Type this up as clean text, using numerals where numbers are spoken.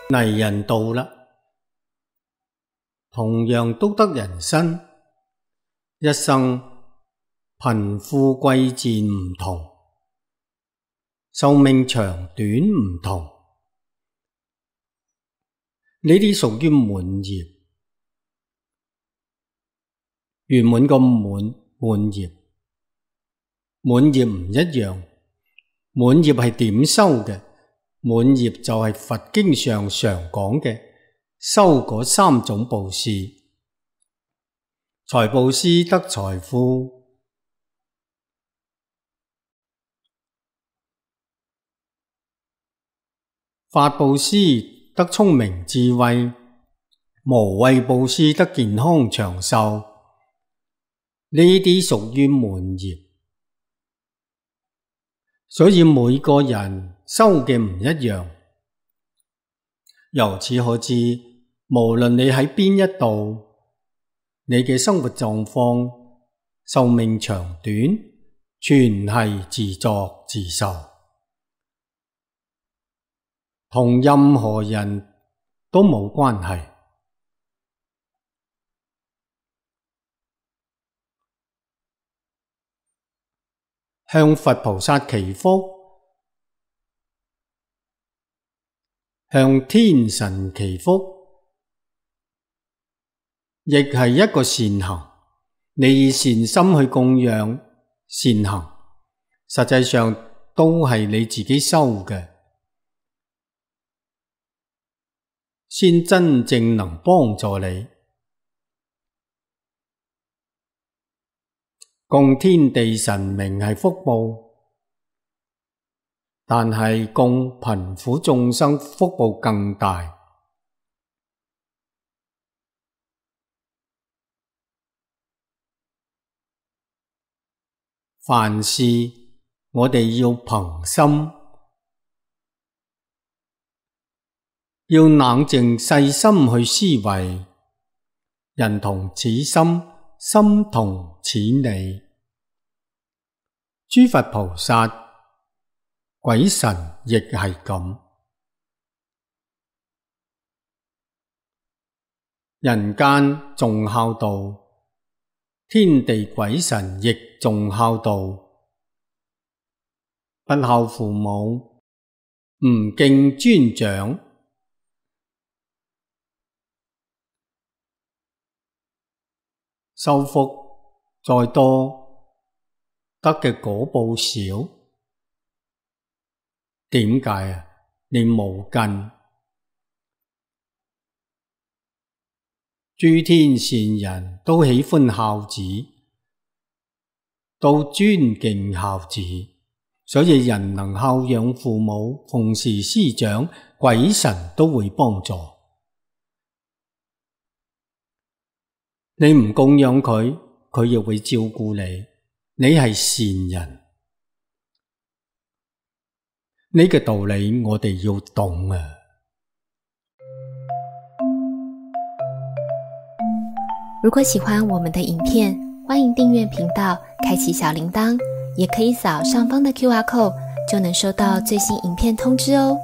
泥人道啦，同樣都得人身，一生貧富貴賤唔同，壽命長短唔同，呢啲屬於滿業。圓滿個滿業，滿業唔一樣，滿業係點修嘅？滿業就係佛經上常講嘅修嗰三種布施：財布施得財富，法布施得聰明智慧，無畏布施得健康長壽。呢啲屬於滿業，所以每個人修嘅唔一樣。由此可知，無論你喺邊一度，你嘅生活狀況、壽命長短，全係自作自受，同任何人都冇關係。向佛菩薩祈福，向天神祈福，亦係一個善行。你以善心去供養善行，實際上都係你自己修嘅，先真正能幫助你。供天地神明係福報，但係供貧苦眾生福報更大。凡事我哋要憑心，要冷靜細心去思維，人同此心，心同此理。諸佛菩薩、鬼神亦係咁。人間重孝道，天地鬼神亦重孝道。不孝父母，唔敬尊長，修福再多，得嘅果報少。點解啊？你冇根。諸天善人都喜歡孝子，都尊敬孝子，所以人能孝養父母，奉事師長，鬼神都會幫助。你唔供養佢，佢亦會照顧你。你係善人，呢個道理我哋要懂啊！如果喜歡我們的影片，歡迎訂閱頻道，開啟小鈴鐺，也可以掃上方的QR code，就能收到最新影片通知哦。